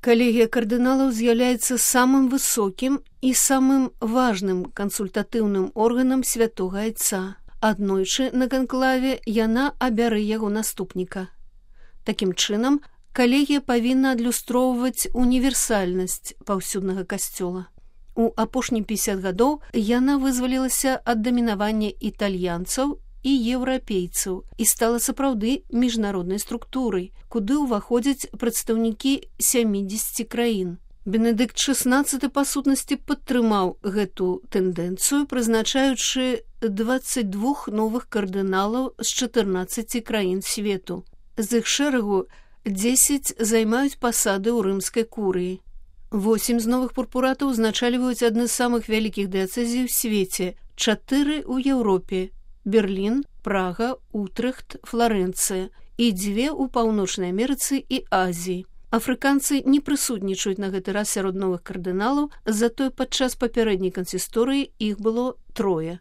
Калегія кардыналаў з'яўляецца самым высокім і самым важным кансультатыўным органам святога Айца. Аднойчы на канклаве яна абярэ яго наступніка. Такім чынам, калегія павінна адлюстроўваць універсальнасць паўсюднага касцёла. У апошнія 50 гадоў яна вызвалілася ад дамінавання італьянцаў і еўрапейцаў і стала сапраўды міжнароднай структурай, куды ўваходзяць прадстаўнікі 70 краін. Бенедыкт XVI па сутнасці падтрымаў гэту тэндэнцыю, прызначаючы 22 новых кардыналаў з 14 краін свету. З іх шэрагу 10 займаюць пасады ў рымскай курыі. 8 з новых пурпуратаў узначальваюць адны з самых вялікіх дыяцэзій у свеце, 4 ў Еўропе: Берлін, Прага, Утрехт, Фларэнцыя і 2 ў Паўночнай Амерыцы і Азіі. Афрыканцы не прысутнічаюць на гэты раз сярод новых кардыналаў, затое падчас папярэдняй кансісторыі іх было 3.